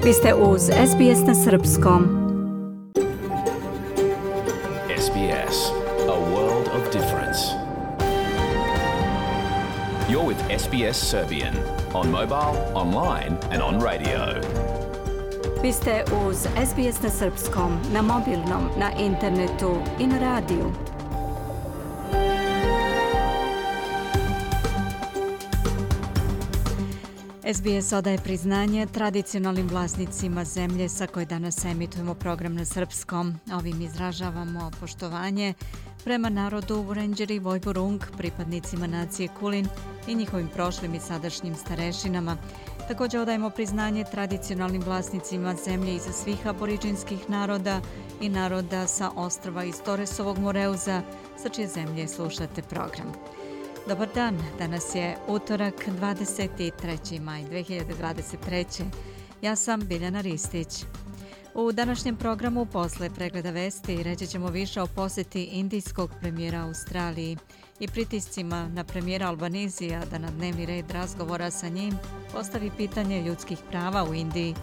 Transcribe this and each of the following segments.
Vi ste uz SBS na srpskom. SBS, a world of difference. You're with SBS Serbian on mobile, online and on radio. Vi ste uz SBS na srpskom, na mobilnom, na internetu i na radiju. SBS odaje priznanje tradicionalnim vlasnicima zemlje sa koje danas emitujemo program na srpskom. Ovim izražavamo poštovanje prema narodu Vurenđeri Vojvorung, pripadnicima nacije Kulin i njihovim prošlim i sadašnjim starešinama. Također odajemo priznanje tradicionalnim vlasnicima zemlje iza svih aboriđinskih naroda i naroda sa ostrva iz Toresovog Moreuza, sa čije zemlje slušate program. Dobar dan, danas je utorak 23. maj 2023. Ja sam Biljana Ristić. U današnjem programu posle pregleda vesti reći ćemo više o posjeti indijskog premijera Australiji i pritiscima na premijera Albanizija da na dnevni red razgovora sa njim postavi pitanje ljudskih prava u Indiji.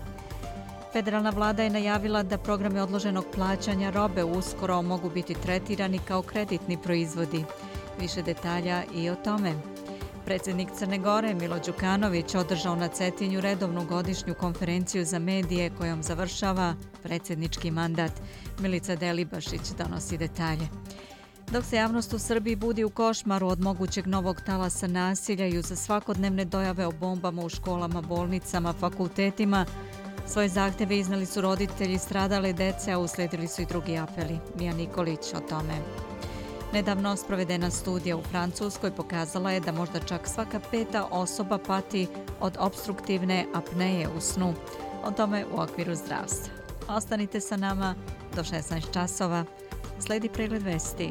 Federalna vlada je najavila da programe odloženog plaćanja robe uskoro mogu biti tretirani kao kreditni proizvodi. Više detalja i o tome. Predsjednik Crne Gore Milo Đukanović održao na Cetinju redovnu godišnju konferenciju za medije kojom završava predsjednički mandat. Milica Delibašić donosi detalje. Dok se javnost u Srbiji budi u košmaru od mogućeg novog talasa nasilja i uz svakodnevne dojave o bombama u školama, bolnicama, fakultetima, svoje zahtjeve iznali su roditelji stradale dece, a uslijedili su i drugi apeli. Mija Nikolić o tome. Nedavno sprovedena studija u Francuskoj pokazala je da možda čak svaka peta osoba pati od opstruktivne apneje u snu. O tome u okviru zdravstva. Ostanite sa nama do 16 časova. Slijedi pregled vesti.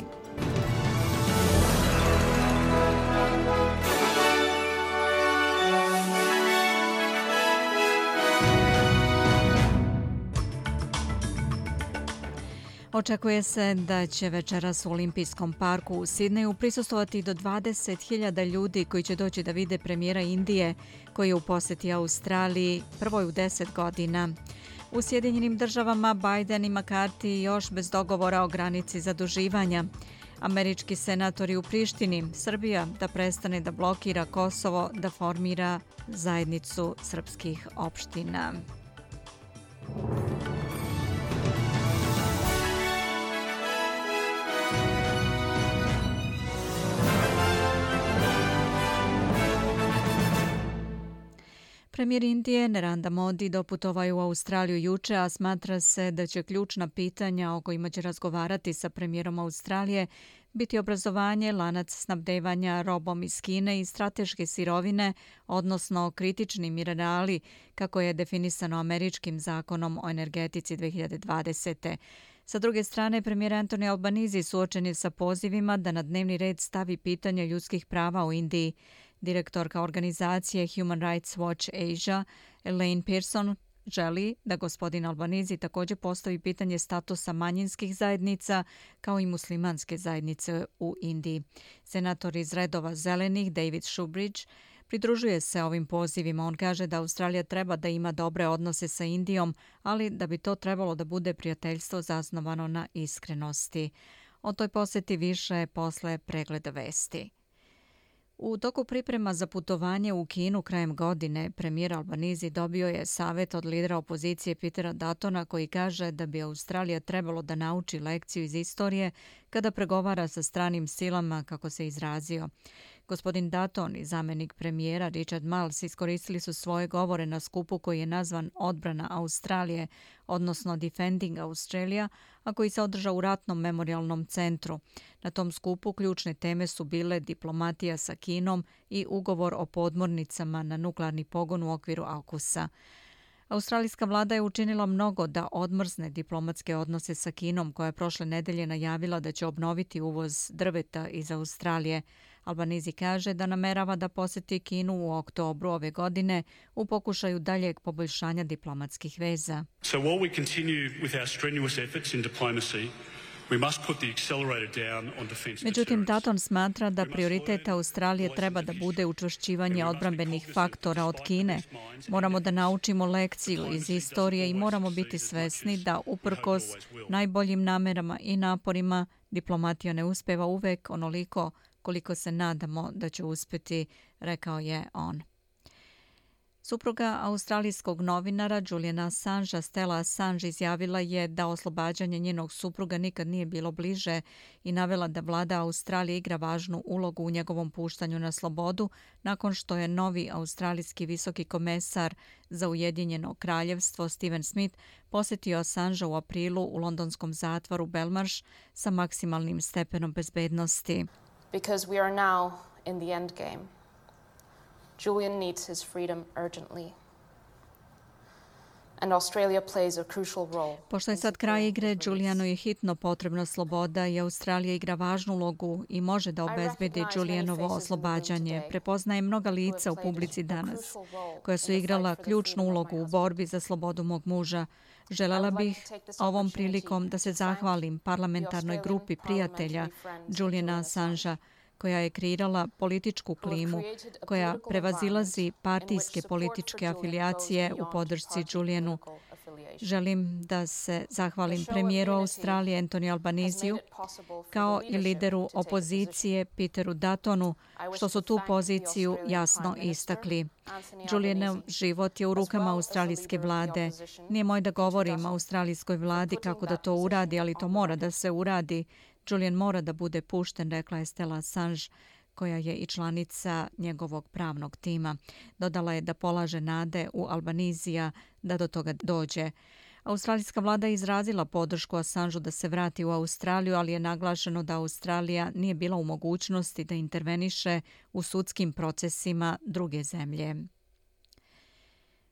Očekuje se da će večeras u Olimpijskom parku u Sidneju prisustvovati do 20.000 ljudi koji će doći da vide premijera Indije koji je u posjeti Australiji prvoj u 10 godina. U Sjedinjenim državama Biden i McCarthy još bez dogovora o granici zaduživanja. Američki senatori u Prištini, Srbija da prestane da blokira Kosovo, da formira zajednicu srpskih opština. Premijer Indije Narendra Modi doputovao je u Australiju juče, a smatra se da će ključna pitanja o kojima će razgovarati sa premijerom Australije biti obrazovanje, lanac snabdevanja robom iz Kine i strateške sirovine, odnosno kritični minerali, kako je definisano američkim zakonom o energetici 2020. Sa druge strane, premijer Anthony Albanese suočen je sa pozivima da na dnevni red stavi pitanje ljudskih prava u Indiji. Direktorka organizacije Human Rights Watch Asia, Elaine Pearson, želi da gospodin Albanese također postavi pitanje statusa manjinskih zajednica kao i muslimanske zajednice u Indiji. Senator iz redova zelenih David Shoebridge pridružuje se ovim pozivima. On kaže da Australija treba da ima dobre odnose sa Indijom, ali da bi to trebalo da bude prijateljstvo zasnovano na iskrenosti. O toj posjeti više posle pregleda vesti. U toku priprema za putovanje u Kinu krajem godine, premijer Albanese dobio je savjet od lidera opozicije Petera Duttona koji kaže da bi Australija trebalo da nauči lekciju iz istorije kada pregovara sa stranim silama, kako se izrazio. Gospodin Dutton i zamjenik premijera Richard Marles iskoristili su svoje govore na skupu koji je nazvan Odbrana Australije, odnosno Defending Australia, a koji se održao u ratnom memorialnom centru. Na tom skupu ključne teme su bile diplomatija sa Kinom i ugovor o podmornicama na nuklearni pogon u okviru AUKUS-a. Australijska vlada je učinila mnogo da odmrzne diplomatske odnose sa Kinom, koja je prošle nedelje najavila da će obnoviti uvoz drveta iz Australije. Albanese kaže da namerava da posjeti Kinu u oktobru ove godine u pokušaju daljeg poboljšanja diplomatskih veza. So while we continue with our strenuous efforts in diplomacy, Međutim, Dutton smatra da prioritet Australije treba da bude učvršćivanje odbrambenih faktora od Kine. Moramo da naučimo lekciju iz istorije i moramo biti svesni da uprkos najboljim namerama i naporima diplomatija ne uspeva uvek onoliko koliko se nadamo da će uspeti, rekao je on. Supruga australijskog novinara Juliana Assangea, Stella Assange, izjavila je da oslobađanje njenog supruga nikad nije bilo bliže i navela da vlada Australije igra važnu ulogu u njegovom puštanju na slobodu nakon što je novi australijski visoki komesar za Ujedinjeno kraljevstvo Stephen Smith posjetio Assangea u aprilu u londonskom zatvoru Belmarsh sa maksimalnim stepenom bezbednosti. Because we are now in the end game. Julian needs his freedom urgently. And Australia plays a crucial role. Pošto je sad kraj igre, Julianu je hitno potrebna sloboda i Australija igra važnu ulogu i može da obezbedi Julianovo oslobađanje. Prepoznaje mnoga lica u publici danas koja su igrala ključnu ulogu u borbi za slobodu mog muža. Želela bih ovom prilikom da se zahvalim parlamentarnoj grupi prijatelja Juliana Assangea koja je kreirala političku klimu koja prevazilazi partijske političke afilijacije u podršci Julianu. Želim da se zahvalim premijeru Australije Anthony Albanesiju kao i lideru opozicije Peteru Duttonu što su tu poziciju jasno istakli. Julianov život je u rukama australijske vlade. Nije moj da govorim australijskoj vladi kako da to uradi, ali to mora da se uradi. Julian mora da bude pušten, rekla je Stella Assange, koja je i članica njegovog pravnog tima. Dodala je da polaže nade u Albanezija da do toga dođe. Australijska vlada je izrazila podršku Assangeu da se vrati u Australiju, ali je naglašeno da Australija nije bila u mogućnosti da interveniše u sudskim procesima druge zemlje.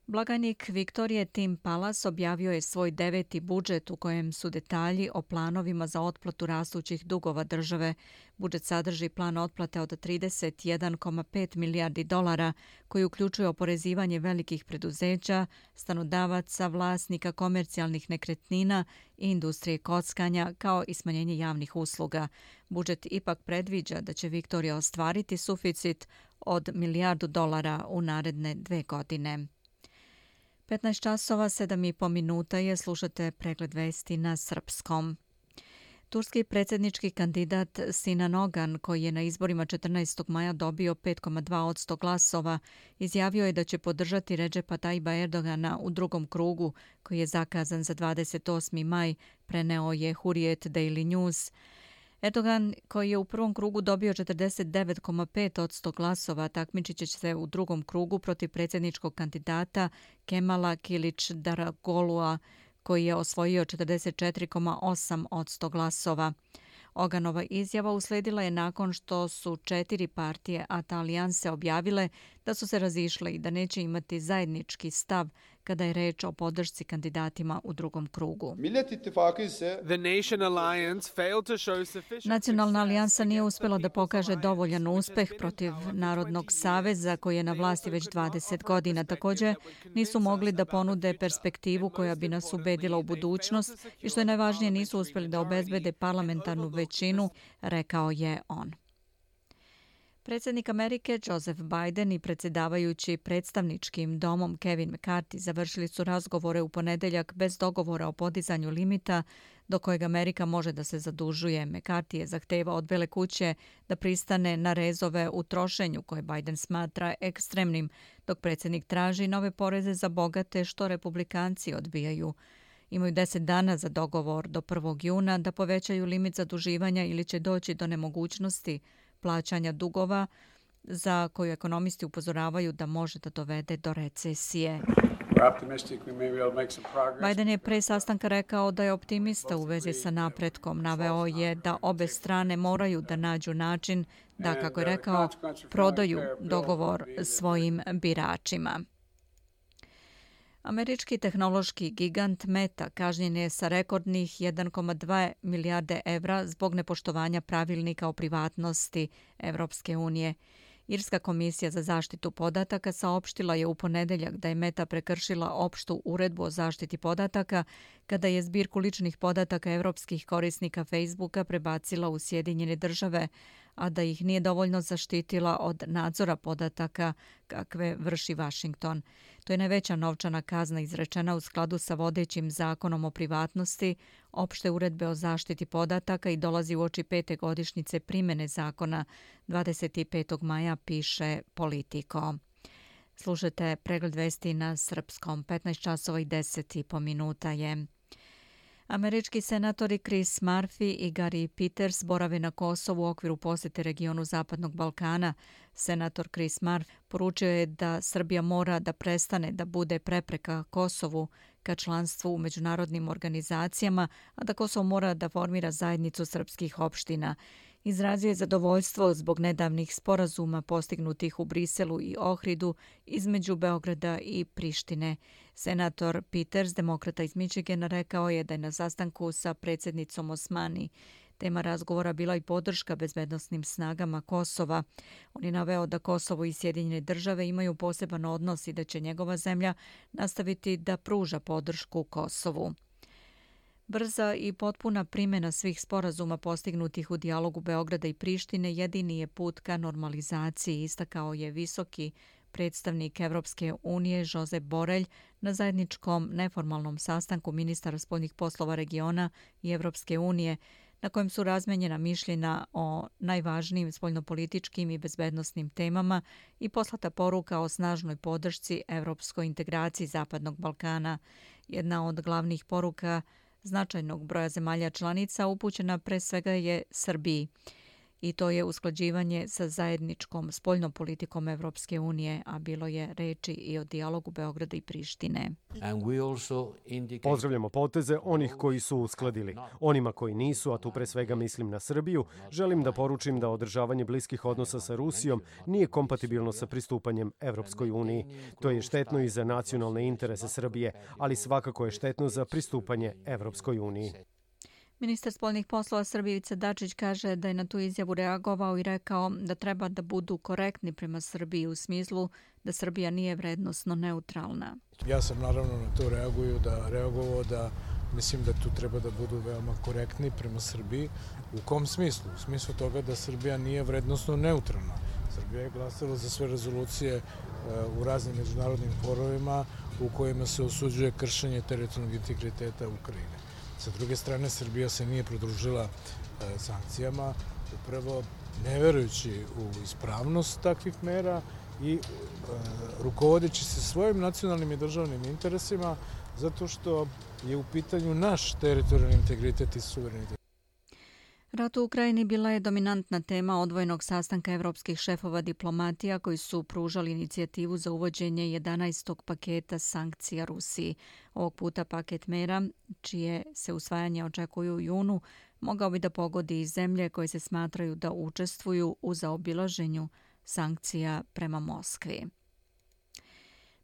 Blagajnik Viktorije Tim Pallas objavio je svoj 9. budžet u kojem su detalji o planovima za otplatu rastućih dugova države. Budžet sadrži plan otplate od 31,5 milijardi dolara koji uključuje oporezivanje velikih preduzeća, stanodavaca, vlasnika komercijalnih nekretnina i industrije kockanja kao i smanjenje javnih usluga. Budžet ipak predviđa da će Viktorija ostvariti suficit od milijardu dolara u naredne 2 godine. 15 časova, 7,5 minuta je, slušate pregled vesti na srpskom. Turski predsjednički kandidat Sinan Ogan, koji je na izborima 14. maja dobio 5,2% glasova, izjavio je da će podržati Redžepa Tayyipa Erdogana u drugom krugu, koji je zakazan za 28. maj, preneo je Hurriyet Daily News. Erdogan, koji je u prvom krugu dobio 49,5% glasova, takmičit će se u drugom krugu protiv predsjedničkog kandidata Kemala Kilic-Darogolua, koji je osvojio 44,8% glasova. Oganova izjava usledila je nakon što su 4 partije ATA alijanse objavile da su se razišle i da neće imati zajednički stav kada je reč o podršci kandidatima u drugom krugu. Nacionalna alijansa nije uspjela da pokaže dovoljan uspeh protiv Narodnog saveza koji je na vlasti već 20 godina. Također nisu mogli da ponude perspektivu koja bi nas ubedila u budućnost i što je najvažnije nisu uspjeli da obezbede parlamentarnu većinu, rekao je on. Predsjednik Amerike Joseph Biden i predsjedavajući predstavničkim domom Kevin McCarthy završili su razgovore u ponedjeljak bez dogovora o podizanju limita do kojeg Amerika može da se zadužuje. McCarthy je zahtevao od Bele kuće da pristane na rezove u trošenju koje Biden smatra ekstremnim, dok predsjednik traži nove poreze za bogate što republikanci odbijaju. Imaju 10 dana za dogovor do 1. juna da povećaju limit zaduživanja ili će doći do nemogućnosti plaćanja dugova za koju ekonomisti upozoravaju da može da dovede do recesije. Biden je pre sastanka rekao da je optimista u vezi sa napretkom. Naveo je da obe strane moraju da nađu način da, kako je rekao, prodaju dogovor svojim biračima. Američki tehnološki gigant Meta kažnjen je sa rekordnih 1,2 milijarde evra zbog nepoštovanja pravilnika o privatnosti Evropske unije. Irska komisija za zaštitu podataka saopštila je u ponedeljak da je Meta prekršila opštu uredbu o zaštiti podataka kada je zbirku ličnih podataka evropskih korisnika Facebooka prebacila u Sjedinjene Države, a da ih nije dovoljno zaštitila od nadzora podataka kakve vrši Washington. To je najveća novčana kazna izrečena u skladu sa vodećim zakonom o privatnosti, opšte uredbe o zaštiti podataka i dolazi uoči 5. godišnjice primjene zakona 25. maja, piše Politico. Slušajte pregled vesti na srpskom. 15 časova i 10 minuta je. Američki senatori Chris Murphy i Gary Peters borave na Kosovu u okviru posjete regionu Zapadnog Balkana. Senator Chris Murphy poručio je da Srbija mora da prestane da bude prepreka Kosovu ka članstvu u međunarodnim organizacijama, a da Kosovo mora da formira zajednicu srpskih opština. Izrazio je zadovoljstvo zbog nedavnih sporazuma postignutih u Briselu i Ohridu između Beograda i Prištine. Senator Peters, demokrata iz Michigana, rekao je da je na sastanku sa predsjednicom Osmani tema razgovora bila i podrška bezbednosnim snagama Kosova. On je naveo da Kosovo i Sjedinjene Države imaju poseban odnos i da će njegova zemlja nastaviti da pruža podršku Kosovu. Brza i potpuna primjena svih sporazuma postignutih u dijalogu Beograda i Prištine jedini je put ka normalizaciji, istakao je visoki predstavnik Evropske unije Josep Borrell na zajedničkom neformalnom sastanku ministara spoljnih poslova regiona i Evropske unije, na kojem su razmenjena mišljenja o najvažnijim spoljnopolitičkim i bezbednosnim temama i poslata poruka o snažnoj podršci evropskoj integraciji Zapadnog Balkana. Jedna od glavnih poruka značajnog broja zemalja članica upućena pre svega je Srbiji. I to je usklađivanje sa zajedničkom spoljnom politikom Evropske unije, a bilo je reči i o dijalogu Beograda i Prištine. Pozdravljamo poteze onih koji su uskladili. Onima koji nisu, a tu pre svega mislim na Srbiju, želim da poručim da održavanje bliskih odnosa sa Rusijom nije kompatibilno sa pristupanjem Evropskoj uniji. To je štetno i za nacionalne interese Srbije, ali svakako je štetno za pristupanje Evropskoj uniji. Ministar spoljnih poslova Srbije Ivica Dačić kaže da je na tu izjavu reagovao i rekao da treba da budu korektni prema Srbiji u smislu da Srbija nije vrednosno neutralna. Ja sam naravno na to reagovao da mislim da tu treba da budu veoma korektni prema Srbiji. U kom smislu? U smislu toga da Srbija nije vrednosno neutralna. Srbija je glasala za sve rezolucije u raznim međunarodnim forovima u kojima se osuđuje kršenje teritorijalnog integriteta Ukrajine. Sa druge strane, Srbija se nije pridružila sankcijama, upravo ne verujući u ispravnost takvih mera i rukovodeći se svojim nacionalnim i državnim interesima, zato što je u pitanju naš teritorijalni integritet i suverenitet. Rat u Ukrajini bila je dominantna tema odvojenog sastanka evropskih šefova diplomatija koji su pružali inicijativu za uvođenje 11. paketa sankcija Rusiji. Ovog puta paket mera, čije se usvajanje očekuju u junu, mogao bi da pogodi i zemlje koje se smatraju da učestvuju u zaobilaženju sankcija prema Moskvi.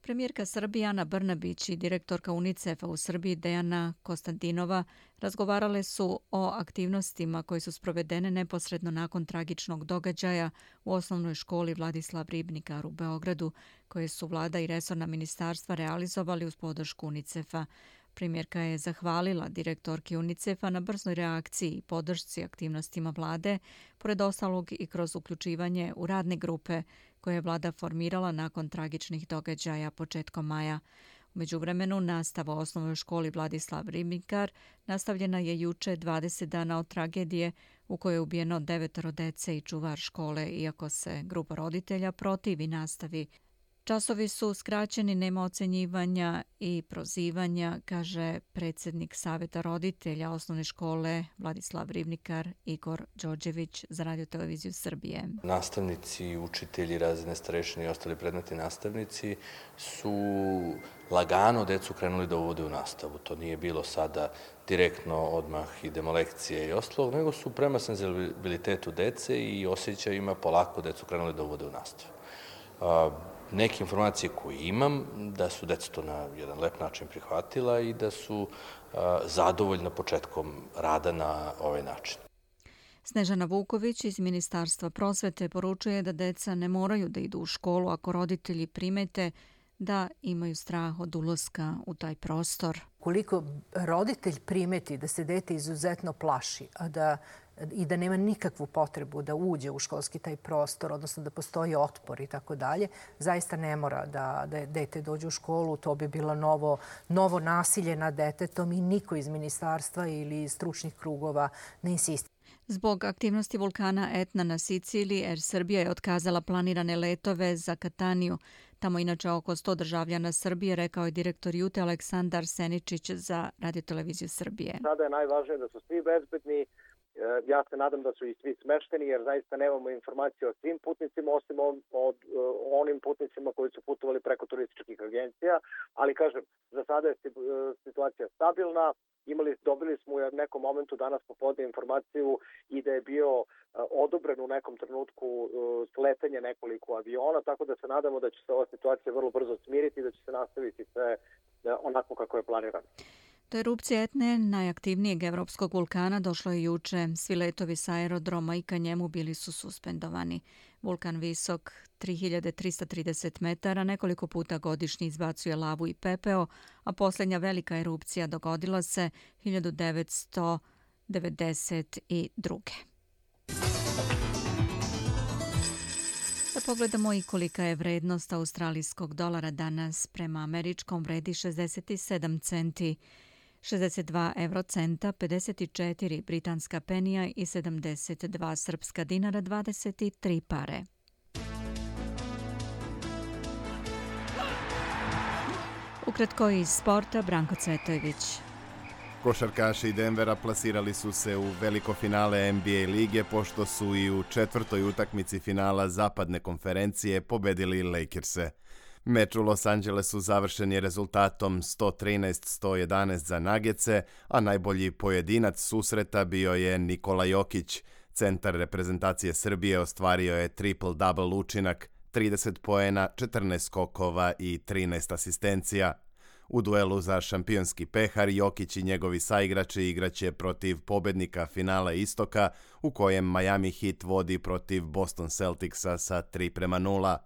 Premijerka Srbije Ana Brnabić i direktorka UNICEF-a u Srbiji Dejana Konstantinova razgovarale su o aktivnostima koje su sprovedene neposredno nakon tragičnog događaja u osnovnoj školi Vladislav Ribnikar u Beogradu, koje su vlada i resorna ministarstva realizovali uz podršku UNICEF-a. Premijerka je zahvalila direktorki UNICEF-a na brznoj reakciji i podršci aktivnostima vlade, pored ostalog i kroz uključivanje u radne grupe koje je vlada formirala nakon tragičnih događaja početkom maja. U međuvremenu, nastava u osnovnoj školi Vladislav Ribnikar nastavljena je juče 20 dana od tragedije u kojoj je ubijeno 9 dece i čuvar škole, iako se grupa roditelja protivi nastavi. Časovi su skraćeni, nema ocenjivanja i prozivanja, kaže predsjednik Saveta roditelja osnovne škole Vladislav Ribnikar Igor Đorđević za Radio-televiziju Srbije. Nastavnici, učitelji, razredne starešine i ostali predmetni nastavnici su lagano decu krenuli da uvode u nastavu. To nije bilo sada direktno odmah idemo lekcije i ostalo, nego su prema senzibilitetu dece i osjećajima polako decu krenuli da uvode u nastavu. Neke informacije koje imam, da su deca to na jedan lep način prihvatila i da su zadovoljna početkom rada na ovaj način. Snežana Vuković iz Ministarstva prosvete poručuje da deca ne moraju da idu u školu ako roditelji primete da imaju strah od ulaska u taj prostor. Koliko roditelj primeti da se dete izuzetno plaši, i da nema nikakvu potrebu da uđe u školski taj prostor, odnosno da postoji otpor i tako dalje, zaista ne mora da dete dođe u školu. To bi bilo novo nasilje nad detetom i niko iz ministarstva ili iz stručnih krugova ne insistira. Zbog aktivnosti vulkana Etna na Siciliji, Air Srbija je otkazala planirane letove za Kataniju. Tamo inače oko 100 državljana Srbije, rekao je direktor Jute Aleksandar Seničić za Radioteleviziju Srbije. Sada je najvažnije da su svi bezbedni. Ja se nadam da su i svi smešteni jer zaista nemamo informacije o svim putnicima osim od onim putnicima koji su putovali preko turističkih agencija, ali kažem, za sada je situacija stabilna. Dobili smo u nekom momentu danas popodne informaciju i da je bio odobren u nekom trenutku sletanje nekoliko aviona, tako da se nadamo da će se ova situacija vrlo brzo smiriti i da će se nastaviti sve onako kako je planirano. Do erupcije Etne, najaktivnijeg evropskog vulkana, došlo je juče. Svi letovi sa aerodroma i ka njemu bili su suspendovani. Vulkan visok 3330 metara nekoliko puta godišnje izbacuje lavu i pepeo, a posljednja velika erupcija dogodila se 1992. Da pogledamo i kolika je vrednost australijskog dolara danas. Prema američkom vredi 67 centi. 62 eurocenta, 54 britanska penija i 72 srpska dinara, 23 pare. Ukratko iz sporta, Branko Cvetojević. Košarkaši Denvera plasirali su se u veliko finale NBA lige pošto su i u četvrtoj utakmici finala zapadne konferencije pobedili Lakers-e. Meč u Los Angelesu završen je rezultatom 113-111 za Nuggetse, a najbolji pojedinac susreta bio je Nikola Jokić. Centar reprezentacije Srbije ostvario je triple-double učinak, 30 poena, 14 skokova i 13 asistencija. U duelu za šampionski pehar Jokić i njegovi saigrači igraće protiv pobednika finala Istoka, u kojem Miami Heat vodi protiv Boston Celticsa sa 3:0.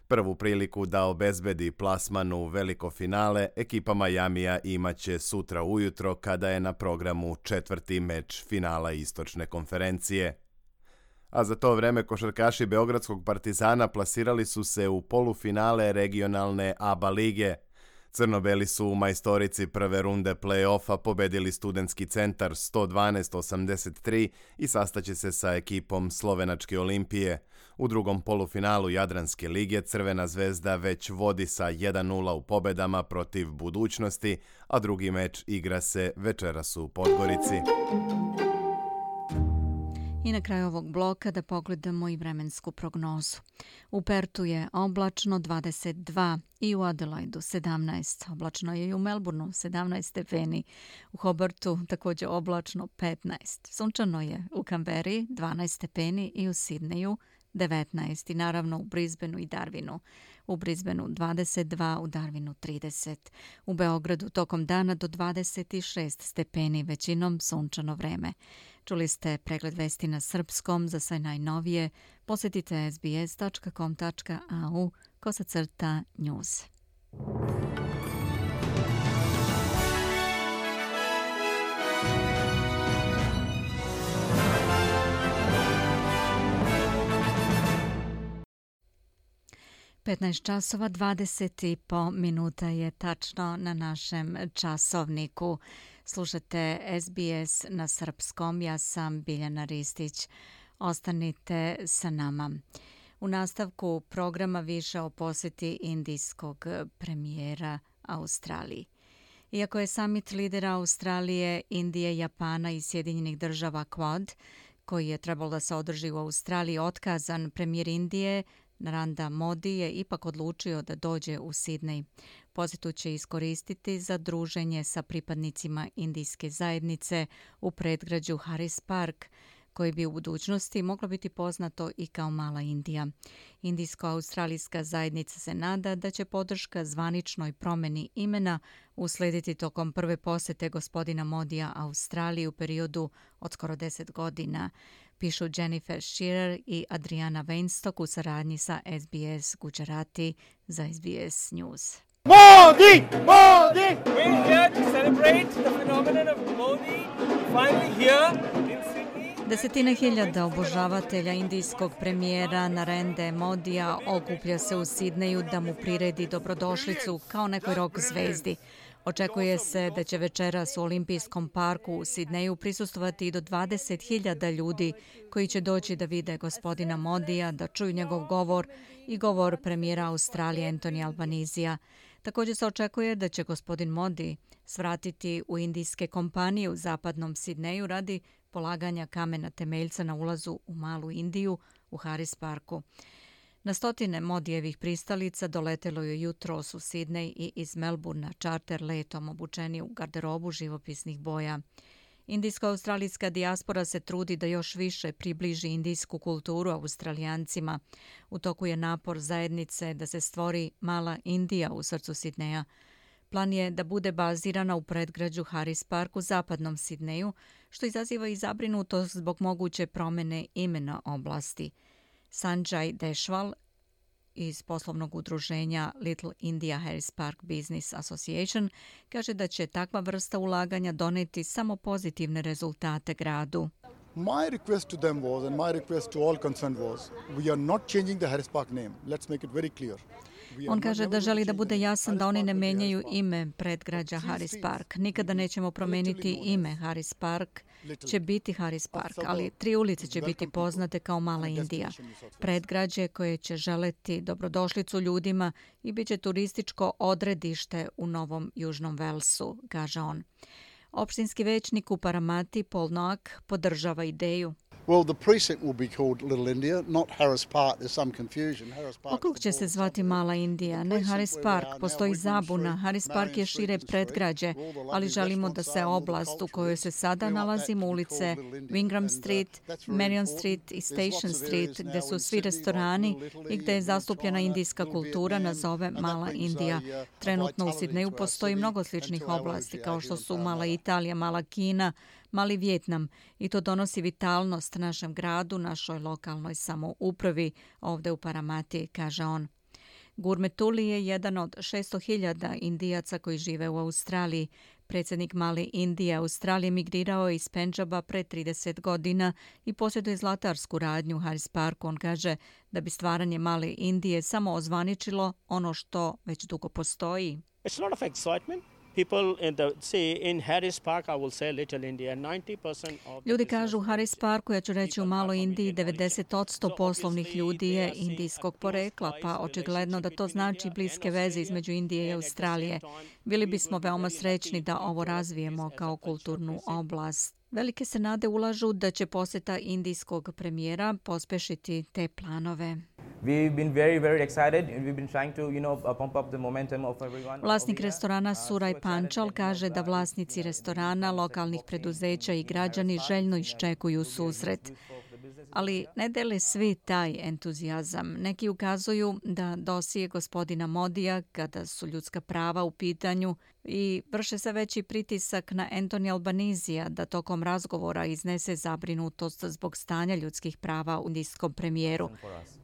Prvu priliku da obezbedi plasman u veliko finale ekipa Majamija imaće sutra ujutro kada je na programu četvrti meč finala Istočne konferencije. A za to vreme košarkaši Beogradskog Partizana plasirali su se u polufinale regionalne ABA lige. Crno-beli su u majstorici prve runde play-offa pobedili Studentski centar 112-83 i sastaće se sa ekipom Slovenačke Olimpije. U drugom polufinalu Jadranske lige Crvena zvezda već vodi sa 1:0 u pobedama protiv Budućnosti, a drugi meč igra se večeras u Podgorici. I na kraju ovog bloka da pogledamo i vremensku prognozu. U Pertu je oblačno 22 i u Adelaidu 17. Oblačno je i u Melbourneu 17 stepeni. U Hobartu također oblačno 15. Sunčano je u Kamberi 12 stepeni i u Sidneju 19. I naravno u Brisbaneu i Darwinu. U Brisbaneu 22, u Darwinu 30. U Beogradu tokom dana do 26 stepeni, većinom sunčano vreme. Čuli ste pregled vesti na srpskom. Za sve najnovije posjetite sbs.com.au/news. časova 20:05 je tačno na našem časovniku. Slušate SBS na srpskom. Ja sam Biljana Ristić. Ostanite sa nama. U nastavku programa više o posjeti indijskog premijera Australiji. Iako je summit lidera Australije, Indije, Japana i Sjedinjenih država Quad, koji je trebalo da se održi u Australiji, otkazan, premijer Indije Narendra Modi je ipak odlučio da dođe u Sidnej. Posjetu će iskoristiti za druženje sa pripadnicima indijske zajednice u predgrađu Harris Park. koji bi u budućnosti moglo biti poznato i kao Mala Indija. Indijsko-australijska zajednica se nada da će podrška zvaničnoj promjeni imena uslediti tokom prve posjete gospodina Modija Australiji u periodu od skoro 10 godina, pišu Jennifer Shearer i Adriana Weinstock u saradnji sa SBS Gujarati za SBS News. Modi! Modi! We're here to celebrate the phenomenon of Modi finally here in Sydney. Desetine hiljada obožavatelja indijskog premijera Narendra Modija okuplja se u Sidneju da mu priredi dobrodošlicu kao nekoj rock zvezdi. Očekuje se da će večeras u Olimpijskom parku u Sidneju prisustvovati i do 20.000 ljudi koji će doći da vide gospodina Modija, da čuju njegov govor i govor premijera Australije Anthony Albanizija. Također se očekuje da će gospodin Modi svratiti u indijske kompanije u zapadnom Sidneju radi polaganja kamena temeljca na ulazu u Malu Indiju u Harris Parku. Na stotine Modijevih pristalica doletelo je jutros u Sidnej i iz Melbourna čarter letom obučeni u garderobu živopisnih boja. Indijsko-australijska dijaspora se trudi da još više približi indijsku kulturu Australijancima. U toku je napor zajednice da se stvori Mala Indija u srcu Sidneja. Plan je da bude bazirana u predgrađu Harris Park u zapadnom Sidneju, što izaziva i zabrinutost zbog moguće promjene imena oblasti. Sanjay Deshwal iz poslovnog udruženja Little India Harris Park Business Association kaže da će takva vrsta ulaganja doneti samo pozitivne rezultate gradu. My request to them was, and my request to all concerned was, we are not changing the Harris Park name. Let's make it very clear. On kaže da želi da bude jasan da oni ne menjaju ime predgrađa Harris Park. Nikada nećemo promijeniti ime. Harris Park će biti Harris Park, ali 3 ulice će biti poznate kao Mala Indija. Predgrađe koje će želeti dobrodošlicu ljudima i bit će turističko odredište u Novom Južnom Velsu, kaže on. Opštinski većnik u Paramati Paul Noack podržava ideju. Well, the precinct will be called Little India, not Harris Park. There's some confusion. Okrug će se zvati Mala Indija, ne Harris Park. Postoji zabuna. Harris Park je šire predgrađe, ali želimo da se oblast u kojoj se sada nalazimo, ulice Wingram Street, Marion Street i Station Street, gde su svi restorani i gde je zastupljena indijska kultura, nazove Mala Indija. Trenutno u Sidneju postoji mnogo sličnih oblasti, kao što su Mala Italija, Mala Kina, Mali Vjetnam, i to donosi vitalnost našem gradu, našoj lokalnoj samoupravi ovdje u Paramati, kaže on. Gurmetuli je jedan od 600.000 Indijaca koji žive u Australiji. Predsjednik Male Indije Australije migrirao je iz Pendžaba pre 30 godina i posjeduje zlatarsku radnju u Harris Parku. On kaže da bi stvaranje Male Indije samo ozvaničilo ono što već dugo postoji. It's a lot of excitement. Ljudi kažu u Harris Parku, ja ću reći u Maloj Indiji, 90% poslovnih ljudi je indijskog porekla, pa očigledno da to znači bliske veze između Indije i Australije. Bili bismo veoma srećni da ovo razvijemo kao kulturnu oblast. Velike se nade ulažu da će posjeta indijskog premijera pospešiti te planove. Vlasnik restorana Suraj Pančal kaže da vlasnici restorana, lokalnih preduzeća i građani željno iščekuju susret. Ali ne dele svi taj entuzijazam. Neki ukazuju da dosije gospodina Modija, kada su ljudska prava u pitanju, i vrše se veći pritisak na Anthony Albanizija da tokom razgovora iznese zabrinutost zbog stanja ljudskih prava u indijskom premijeru.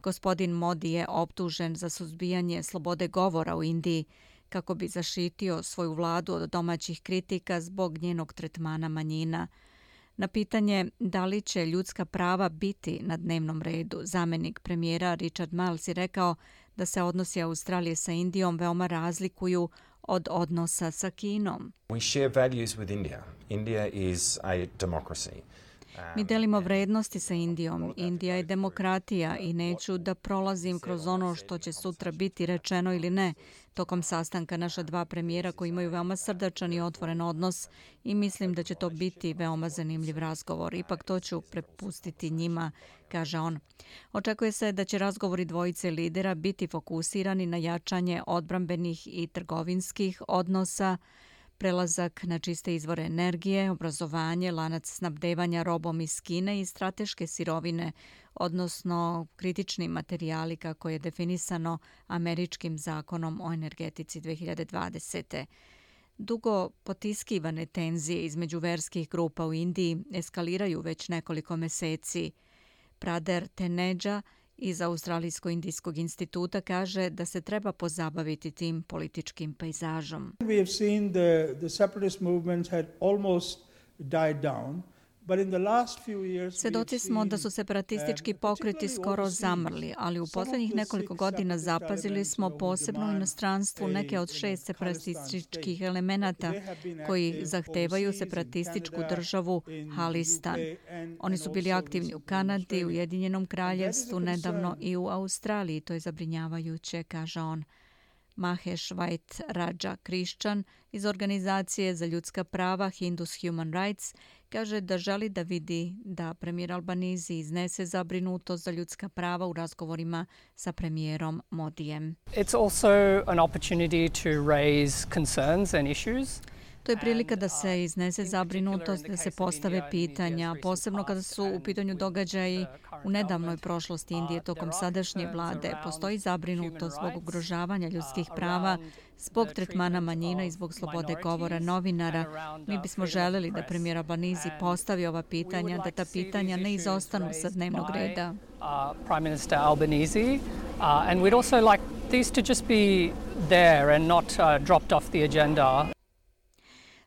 Gospodin Modi je optužen za suzbijanje slobode govora u Indiji kako bi zaštitio svoju vladu od domaćih kritika zbog njenog tretmana manjina. Na pitanje da li će ljudska prava biti na dnevnom redu, zamjenik premijera Richard Marles je rekao da se odnosi Australije sa Indijom veoma razlikuju od odnosa sa Kinom. We share values with India. India is a democracy. Mi delimo vrednosti sa Indijom. Indija je demokratija i neću da prolazim kroz ono što će sutra biti rečeno ili ne. Tokom sastanka naša dva premijera koji imaju veoma srdačan i otvoren odnos i mislim da će to biti veoma zanimljiv razgovor. Ipak to ću prepustiti njima, kaže on. Očekuje se da će razgovori dvojice lidera biti fokusirani na jačanje odbrambenih i trgovinskih odnosa, prelazak na čiste izvore energije, obrazovanje, lanac snabdevanja robom iz Kine i strateške sirovine, odnosno kritični materijali kako je definisano američkim zakonom o energetici 2020. Dugo potiskivane tenzije između verskih grupa u Indiji eskaliraju već nekoliko meseci. Prader Teneđa iz Australijsko-indijskog instituta kaže da se treba pozabaviti tim političkim pejzažom. We have seen the separatist movements had almost died down. Svedoci smo da su separatistički pokreti skoro zamrli, ali u posljednjih nekoliko godina zapazili smo posebno u inostranstvu neke od 6 separatističkih elemenata koji zahtevaju separatističku državu Halistan. Oni su bili aktivni u Kanadi, u Ujedinjenom kraljevstvu, nedavno i u Australiji. To je zabrinjavajuće, kaže on. Mahesh White Raja Christian iz Organizacije za ljudska prava Hindus Human Rights kaže da želi da vidi da premijer Albanizi iznese zabrinutost za ljudska prava u razgovorima sa premijerom Modijem. It's also an opportunity to raise concerns and issues. To je prilika da se iznese zabrinutost, da se postave pitanja, posebno kada su u pitanju događaji u nedavnoj prošlosti Indije tokom sadašnje vlade. Postoji zabrinutost zbog ugrožavanja ljudskih prava, zbog tretmana manjina i zbog slobode govora novinara. Mi bismo želeli da premijer Albanizi postavi ova pitanja, da ta pitanja ne izostanu sa dnevnog reda. Prime Minister Albanese, and we'd also like these to just be there and not dropped off the agenda.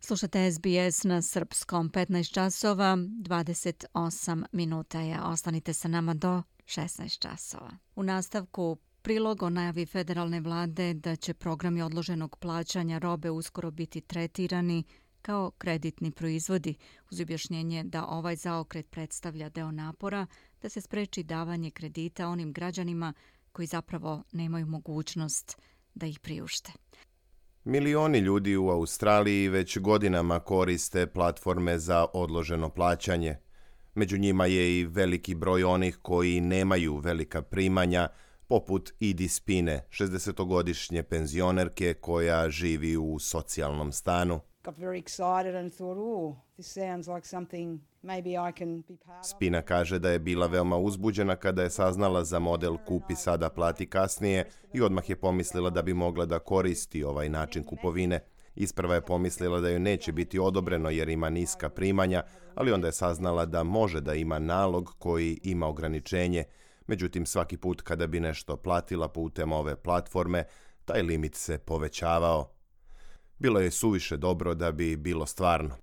Slušate SBS na srpskom, 15 časova, 28 minuta je. Ostanite sa nama do 16 časova. U nastavku prilog o najavi federalne vlade da će programi odloženog plaćanja robe uskoro biti tretirani kao kreditni proizvodi, uz objašnjenje da ovaj zaokret predstavlja deo napora da se spreči davanje kredita onim građanima koji zapravo nemaju mogućnost da ih priušte. Milioni ljudi u Australiji već godinama koriste platforme za odloženo plaćanje. Među njima je i veliki broj onih koji nemaju velika primanja, poput Idi Spine, 60-godišnje penzionerke koja živi u socijalnom stanu. Spina kaže da je bila veoma uzbuđena kada je saznala za model kupi sada, plati kasnije i odmah je pomislila da bi mogla da koristi ovaj način kupovine. Isprva je pomislila da joj neće biti odobreno jer ima niska primanja, ali onda je saznala da može da ima nalog koji ima ograničenje. Međutim, svaki put kada bi nešto platila putem ove platforme, taj limit se povećavao. Bilo je suviše dobro da bi bilo stvarno.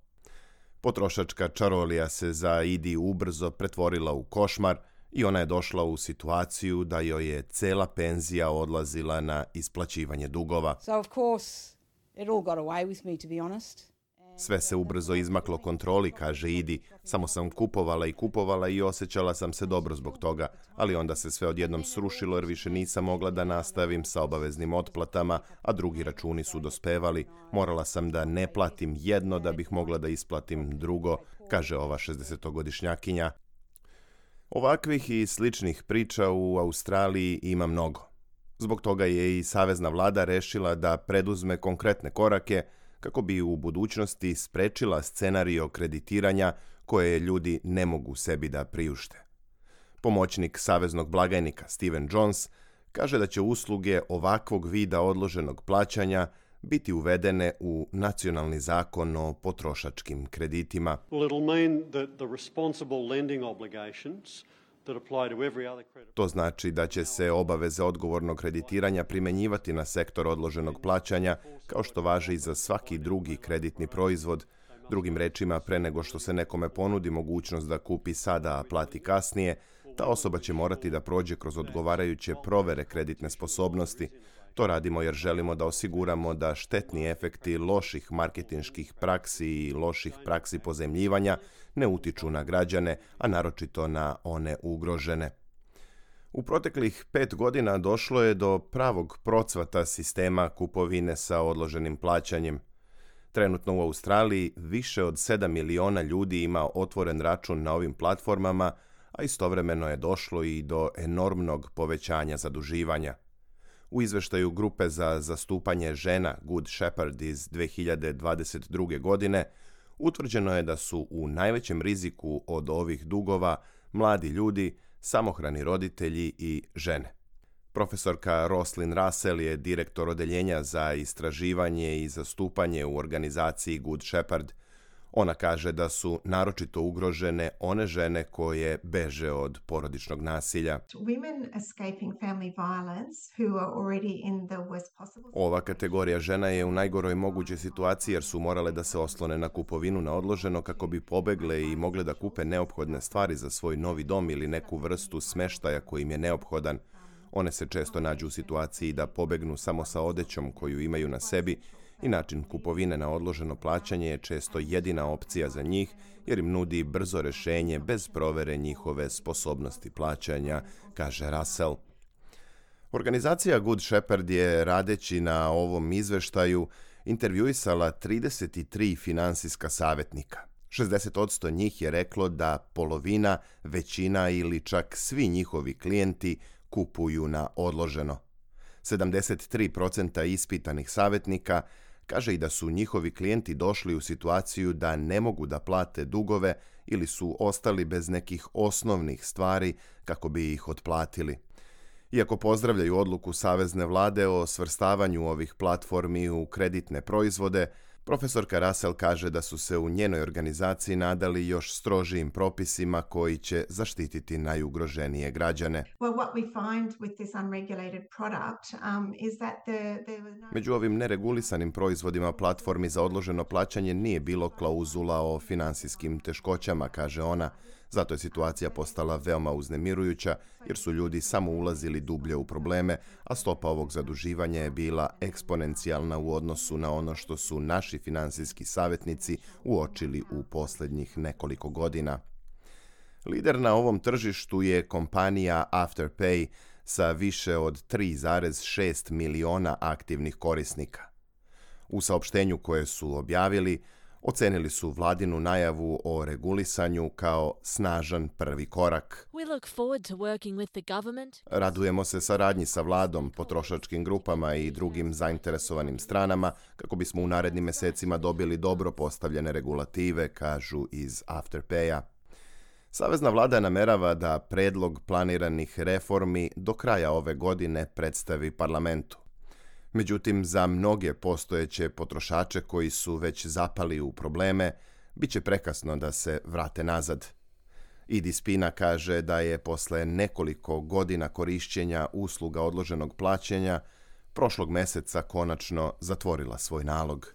Potrošačka čarolija se za Idi ubrzo pretvorila u košmar i ona je došla u situaciju da joj je cela penzija odlazila na isplaćivanje dugova. Sve se ubrzo izmaklo kontroli, kaže Idi. Samo sam kupovala i osjećala sam se dobro zbog toga, ali onda se sve odjednom srušilo jer više nisam mogla da nastavim sa obaveznim otplatama, a drugi računi su dospevali. Morala sam da ne platim jedno da bih mogla da isplatim drugo, kaže ova 60-godišnjakinja. Ovakvih i sličnih priča u Australiji ima mnogo. Zbog toga je i savezna vlada rešila da preduzme konkretne korake kako bi u budućnosti sprečila scenario kreditiranja koje ljudi ne mogu sebi da priušte. Pomoćnik saveznog blagajnika Steven Jones kaže da će usluge ovakvog vida odloženog plaćanja biti uvedene u nacionalni zakon o potrošačkim kreditima. To znači da će se obaveze odgovornog kreditiranja primenjivati na sektor odloženog plaćanja, kao što važi i za svaki drugi kreditni proizvod. Drugim rečima, pre nego što se nekome ponudi mogućnost da kupi sada, a plati kasnije, ta osoba će morati da prođe kroz odgovarajuće provere kreditne sposobnosti. To radimo jer želimo da osiguramo da štetni efekti loših marketinških praksi i loših praksi pozemljivanja ne utiču na građane, a naročito na one ugrožene. U proteklih 5 godina došlo je do pravog procvata sistema kupovine sa odloženim plaćanjem. Trenutno u Australiji više od 7 miliona ljudi ima otvoren račun na ovim platformama, a istovremeno je došlo i do enormnog povećanja zaduživanja. U izveštaju Grupe za zastupanje žena Good Shepherd iz 2022. godine utvrđeno je da su u najvećem riziku od ovih dugova mladi ljudi, samohrani roditelji i žene. Profesorka Roslyn Russell je direktor odeljenja za istraživanje i zastupanje u organizaciji Good Shepherd. Ona kaže da su naročito ugrožene one žene koje beže od porodičnog nasilja. Ova kategorija žena je u najgoroj mogućoj situaciji jer su morale da se oslone na kupovinu na odloženo kako bi pobegle i mogle da kupe neophodne stvari za svoj novi dom ili neku vrstu smeštaja koji im je neophodan. One se često nađu u situaciji da pobegnu samo sa odećom koju imaju na sebi i način kupovine na odloženo plaćanje je često jedina opcija za njih jer im nudi brzo rešenje bez provere njihove sposobnosti plaćanja, kaže Russell. Organizacija Good Shepherd je, radeći na ovom izveštaju, intervjuisala 33 finansijska savjetnika. 60% njih je reklo da polovina, većina ili čak svi njihovi klijenti kupuju na odloženo. 73% ispitanih savjetnika kaže i da su njihovi klijenti došli u situaciju da ne mogu da plate dugove ili su ostali bez nekih osnovnih stvari kako bi ih otplatili. Iako pozdravljaju odluku Savezne vlade o svrstavanju ovih platformi u kreditne proizvode, profesorka Russell kaže da su se u njenoj organizaciji nadali još strožijim propisima koji će zaštititi najugroženije građane. Među ovim neregulisanim proizvodima platformi za odloženo plaćanje nije bilo klauzula o finansijskim teškoćama, kaže ona. Zato je situacija postala veoma uznemirujuća jer su ljudi samo ulazili dublje u probleme, a stopa ovog zaduživanja je bila eksponencijalna u odnosu na ono što su naši finansijski savjetnici uočili u posljednjih nekoliko godina. Lider na ovom tržištu je kompanija Afterpay sa više od 3,6 miliona aktivnih korisnika. U saopštenju koje su objavili, ocenili su vladinu najavu o regulisanju kao snažan prvi korak. Radujemo se saradnji sa vladom, potrošačkim grupama i drugim zainteresovanim stranama kako bismo u narednim mesecima dobili dobro postavljene regulative, kažu iz Afterpaya. Savezna vlada namerava da predlog planiranih reformi do kraja ove godine predstavi parlamentu. Međutim, za mnoge postojeće potrošače koji su već zapali u probleme, bit će prekasno da se vrate nazad. Idi Spina kaže da je posle nekoliko godina korišćenja usluga odloženog plaćanja prošlog meseca konačno zatvorila svoj nalog.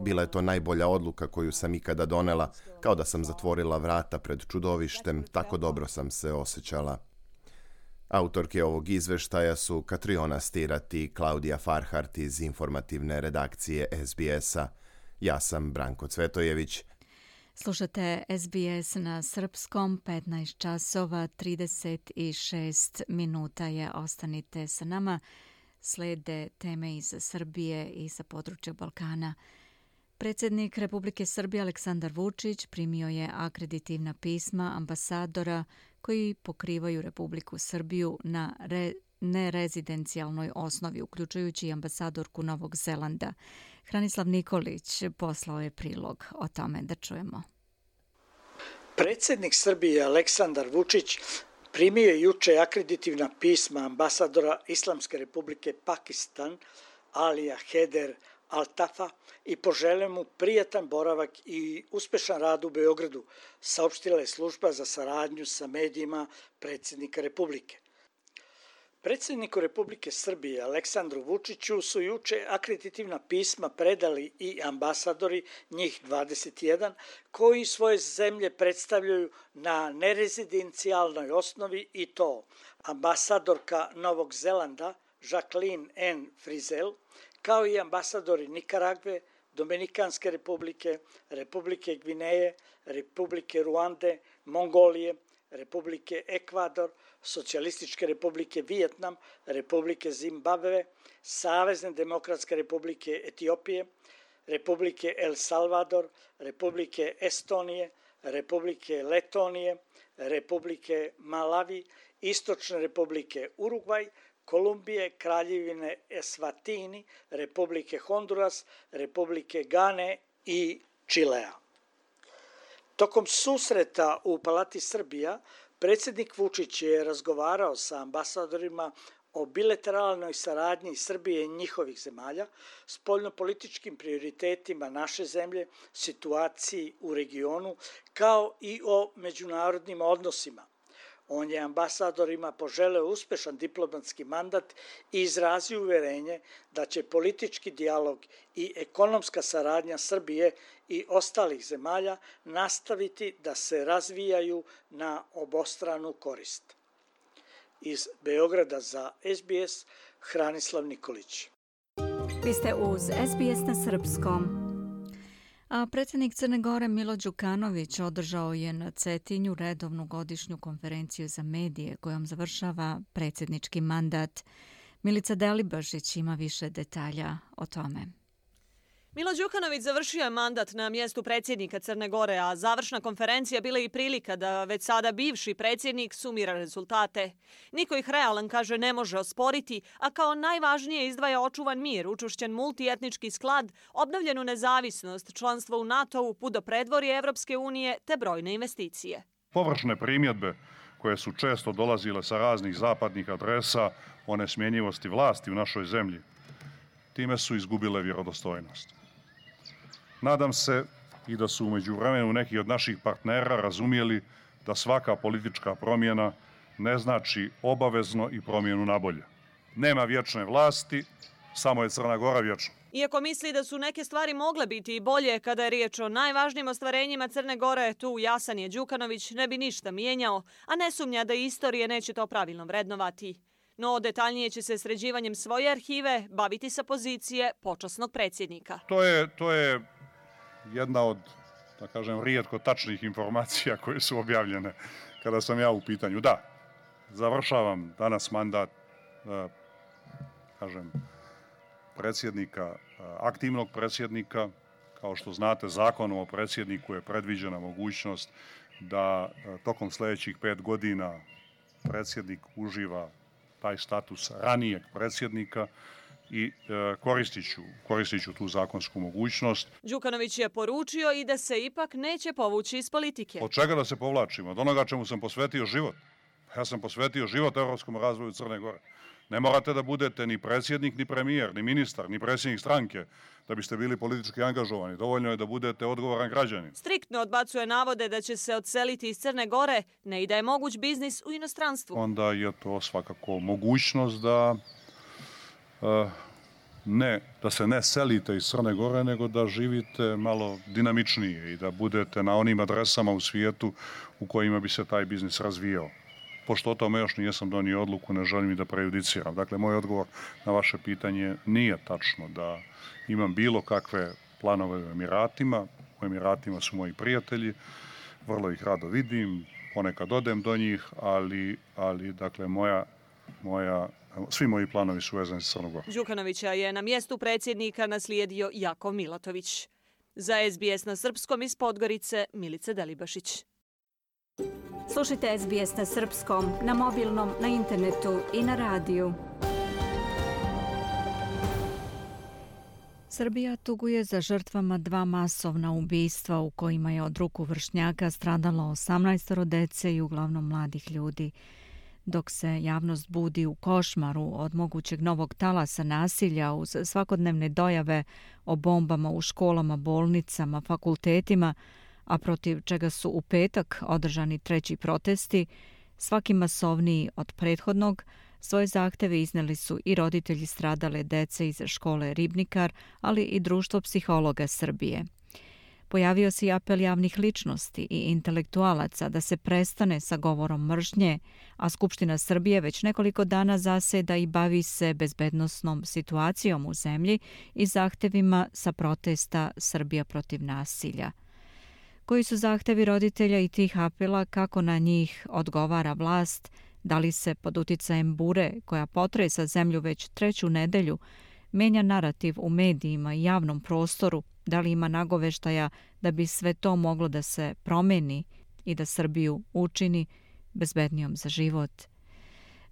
Bila je to najbolja odluka koju sam ikada donela, kao da sam zatvorila vrata pred čudovištem, tako dobro sam se osjećala. Autorke ovog izveštaja su Katriona Stirat i Klaudija Farhart iz informativne redakcije SBS-a. Ja sam Branko Cvetojević. Slušate SBS na srpskom, 15 časova, 36 minuta je. Ostanite sa nama. Slede teme iz Srbije i sa područja Balkana. Predsjednik Republike Srbije Aleksandar Vučić primio je akreditivna pisma ambasadora koji pokrivaju Republiku Srbiju na nerezidencijalnoj osnovi, uključujući i ambasadorku Novog Zelanda. Hranislav Nikolić poslao je prilog o tome, da čujemo. Predsjednik Srbije Aleksandar Vučić primio je juče akreditivna pisma ambasadora Islamske Republike Pakistan Alija Heder Altafa i poželeo mu prijatan boravak i uspešan rad u Beogradu, saopštila je služba za saradnju sa medijima predsjednika Republike. Predsjedniku Republike Srbije Aleksandru Vučiću su juče akreditivna pisma predali i ambasadori, njih 21, koji svoje zemlje predstavljaju na nerezidencijalnoj osnovi, i to ambasadorka Novog Zelanda Jacqueline N. Frizel, kao i ambasadori Nikaragve, Dominikanske republike, Republike Gvineje, Republike Ruande, Mongolije, Republike Ekvador, Socijalističke republike Vijetnam, Republike Zimbabve, Savezne demokratske republike Etiopije, Republike El Salvador, Republike Estonije, Republike Letonije, Republike Malavi Istočne republike Urugvaj, Kolumbije, Kraljevine Eswatini, Republike Honduras, Republike Gane i Čilea. Tokom susreta u Palati Srbija, predsjednik Vučić je razgovarao sa ambasadorima o bilateralnoj saradnji Srbije i njihovih zemalja, spoljnopolitičkim prioritetima naše zemlje, situaciji u regionu, kao i o međunarodnim odnosima. On je ambasadorima poželeo uspešan diplomatski mandat i izrazio uverenje da će politički dijalog i ekonomska saradnja Srbije i ostalih zemalja nastaviti da se razvijaju na obostranu korist. Iz Beograda za SBS, Hranislav Nikolić. Vi ste uz SBS na srpskom. A predsjednik Crne Gore Milo Đukanović održao je na Cetinju redovnu godišnju konferenciju za medije kojom završava predsjednički mandat. Milica Delibašić ima više detalja o tome. Milo Đukanović završio je mandat na mjestu predsjednika Crne Gore, a završna konferencija bila i prilika da već sada bivši predsjednik sumira rezultate. Niko ih realan, kaže, ne može osporiti, a kao najvažnije izdvaja očuvan mir, učvršćen multietnički sklad, obnovljenu nezavisnost, članstvo u NATO-u, put do predvorja Evropske unije te brojne investicije. Površne primjedbe koje su često dolazile sa raznih zapadnih adresa o nesmjenjivosti vlasti u našoj zemlji, time su izgubile vjerodostojnost. Nadam se i da su u međuvremenu neki od naših partnera razumjeli da svaka politička promjena ne znači obavezno i promjenu na bolje. Nema vječne vlasti, samo je Crna Gora vječna. Iako misli da su neke stvari mogle biti i bolje kada je riječ o najvažnijim ostvarenjima Crne Gore, tu jasan je Đukanović ne bi ništa mijenjao, a ne sumnja da istorije neće to pravilno vrednovati. No detaljnije će se sređivanjem svoje arhive baviti sa pozicije počasnog predsjednika. To je jedna od, da kažem, rijetko tačnih informacija koje su objavljene kada sam ja u pitanju. Da, završavam danas mandat, predsjednika, aktivnog predsjednika. Kao što znate, zakonom o predsjedniku je predviđena mogućnost da tokom sljedećih 5 godina predsjednik uživa taj status ranijeg predsjednika i koristit ću tu zakonsku mogućnost. Đukanović je poručio i da se ipak neće povući iz politike. Od čega da se povlačimo? Od onoga čemu sam posvetio život. Ja sam posvetio život evropskom razvoju Crne Gore. Ne morate da budete ni predsjednik, ni premijer, ni ministar, ni predsjednik stranke da biste bili politički angažovani. Dovoljno je da budete odgovoran građanin. Striktno odbacuje navode da će se odseliti iz Crne Gore, ne i da je moguć biznis u inostranstvu. Onda je to svakako mogućnost da se ne selite iz Crne Gore, nego da živite malo dinamičnije i da budete na onim adresama u svijetu u kojima bi se taj biznis razvijao. Pošto o tome još nijesam donio odluku, ne želim i da prejudiciram. Dakle, moj odgovor na vaše pitanje nije tačno da imam bilo kakve planove u Emiratima. U Emiratima su moji prijatelji, vrlo ih rado vidim, ponekad odem do njih, ali dakle, svi moji planovi su vezani s Crnom Gorom. Đukanovića je na mjestu predsjednika naslijedio Jakov Milatović. Za SBS na srpskom iz Podgorice, Milica Delibašić. Slušajte SBS na srpskom, na mobilnom, na internetu i na radiju. Srbija tuguje za žrtvama 2 masovna ubistva u kojima je od ruku vršnjaka stradalo 18 dece i uglavnom mladih ljudi. Dok se javnost budi u košmaru od mogućeg novog talasa nasilja uz svakodnevne dojave o bombama u školama, bolnicama, fakultetima, a protiv čega su u petak održani 3. protesti, svaki masovniji od prethodnog, svoje zahteve izneli su i roditelji stradale dece iz škole Ribnikar, ali i Društvo psihologa Srbije. Pojavio se i apel javnih ličnosti i intelektualaca da se prestane sa govorom mržnje, a Skupština Srbije već nekoliko dana zaseda i bavi se bezbednosnom situacijom u zemlji i zahtevima sa protesta Srbija protiv nasilja. Koji su zahtevi roditelja i tih apela, kako na njih odgovara vlast, da li se pod uticajem bure koja potresa zemlju već 3. nedelju menja narativ u medijima i javnom prostoru, da li ima nagoveštaja da bi sve to moglo da se promeni i da Srbiju učini bezbednijom za život.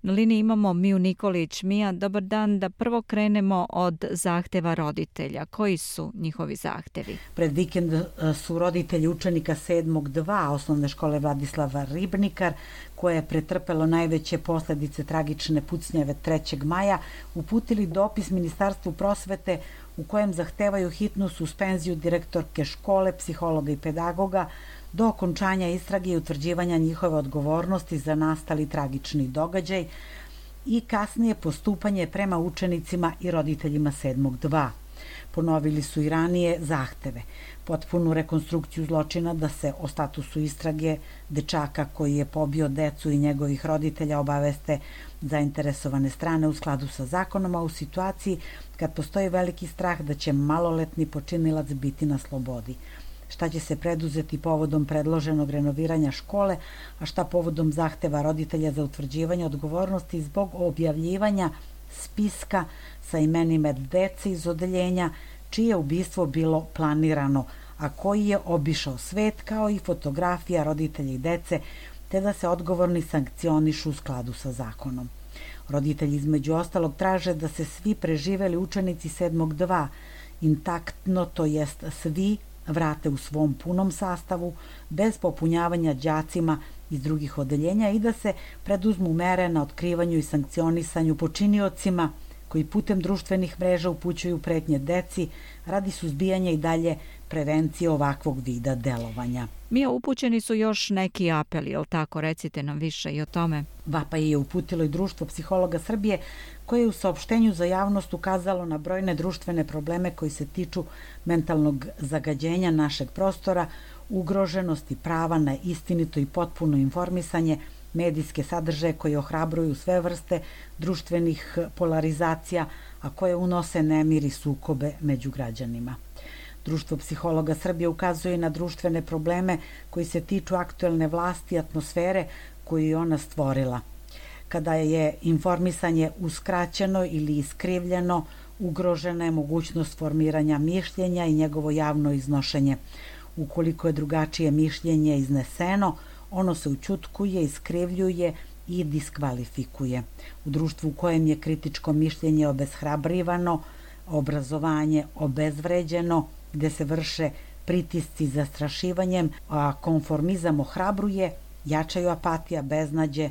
Na liniji imamo Miju Nikolić. Mija, dobar dan. Da prvo krenemo od zahteva roditelja. Koji su njihovi zahtevi? Pred vikend su roditelji učenika 7.2 osnovne škole Vladislava Ribnikar, koje je pretrpelo najveće posljedice tragične pucnjave 3. maja, uputili dopis Ministarstvu prosvete u kojem zahtevaju hitnu suspenziju direktorke škole, psihologa i pedagoga do okončanja istrage i utvrđivanja njihove odgovornosti za nastali tragični događaj i kasnije postupanje prema učenicima i roditeljima 7.2. Ponovili su i ranije zahteve. Potpunu rekonstrukciju zločina, da se o statusu istrage dečaka koji je pobio decu i njegovih roditelja obaveste zainteresovane strane u skladu sa zakonom, a u situaciji kad postoji veliki strah da će maloletni počinilac biti na slobodi. Šta će se preduzeti povodom predloženog renoviranja škole, a šta povodom zahteva roditelja za utvrđivanje odgovornosti zbog objavljivanja spiska sa imenima dece iz odeljenja čije ubistvo bilo planirano, a koji je obišao svet, kao i fotografija roditelja i dece, te da se odgovorni sankcionišu u skladu sa zakonom. Roditelji između ostalog traže da se svi preživeli učenici 7.2 intaktno, to jest svi, vrate u svom punom sastavu, bez popunjavanja đacima iz drugih odeljenja i da se preduzmu mere na otkrivanju i sankcionisanju počiniocima koji putem društvenih mreža upućuju pretnje deci radi suzbijanja i dalje prevencije ovakvog vida delovanja. Mija, upućeni su još neki apeli, jel tako? Recite nam više i o tome. Vapaj je uputilo i Društvo psihologa Srbije, koje je u saopštenju za javnost ukazalo na brojne društvene probleme koji se tiču mentalnog zagađenja našeg prostora, ugroženosti prava na istinito i potpuno informisanje, medijske sadržaje koji ohrabruju sve vrste društvenih polarizacija, a koje unose nemir i sukobe među građanima. Društvo psihologa Srbije ukazuje na društvene probleme koji se tiču aktuelne vlasti i atmosfere koju je ona stvorila. Kada je informisanje uskraćeno ili iskrivljeno, ugrožena je mogućnost formiranja mišljenja i njegovo javno iznošenje. Ukoliko je drugačije mišljenje izneseno, ono se ućutkuje, iskrivljuje i diskvalifikuje. U društvu u kojem je kritičko mišljenje obeshrabrivano, obrazovanje obezvređeno, gde se vrše pritisci zastrašivanjem, a konformizam ohrabruje, jačaju apatija, beznađe,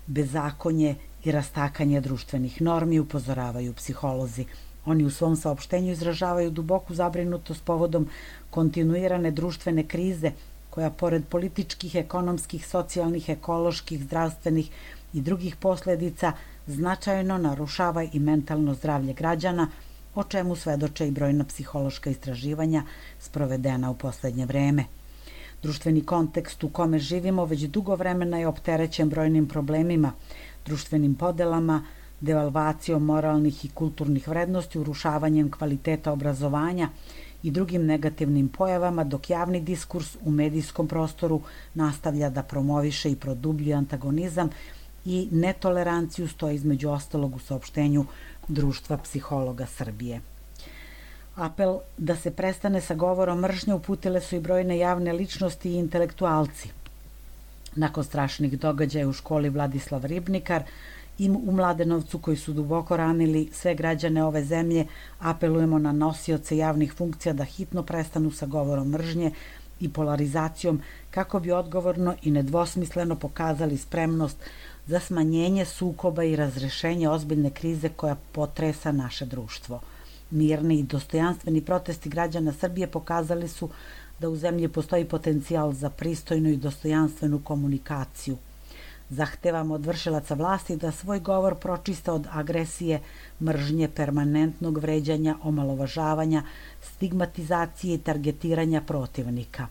bezakonje i rastakanje društvenih normi, upozoravaju psiholozi. Oni u svom saopštenju izražavaju duboku zabrinutost povodom kontinuirane društvene krize, koja pored političkih, ekonomskih, socijalnih, ekoloških, zdravstvenih i drugih posljedica značajno narušava i mentalno zdravlje građana, o čemu svedoče i brojna psihološka istraživanja sprovedena u poslednje vreme. Društveni kontekst u kome živimo već dugo vremena je opterećen brojnim problemima, društvenim podelama, devalvacijom moralnih i kulturnih vrednosti, urušavanjem kvaliteta obrazovanja i drugim negativnim pojavama, dok javni diskurs u medijskom prostoru nastavlja da promoviše i produbljuje antagonizam i netoleranciju, stoji između ostalog u saopštenju Društva psihologa Srbije. Apel da se prestane sa govorom mržnje uputile su i brojne javne ličnosti i intelektualci. Nakon strašnih događaja u školi Vladislav Ribnikar i u Mladenovcu, koji su duboko ranili sve građane ove zemlje, apelujemo na nosioce javnih funkcija da hitno prestanu sa govorom mržnje i polarizacijom, kako bi odgovorno i nedvosmisleno pokazali spremnost za smanjenje sukoba i razrešenje ozbiljne krize koja potresa naše društvo. Mirni i dostojanstveni protesti građana Srbije pokazali su da u zemlji postoji potencijal za pristojnu i dostojanstvenu komunikaciju. Zahtevamo od vršilaca vlasti da svoj govor pročiste od agresije, mržnje, permanentnog vređanja, omalovažavanja, stigmatizacije i targetiranja protivnika.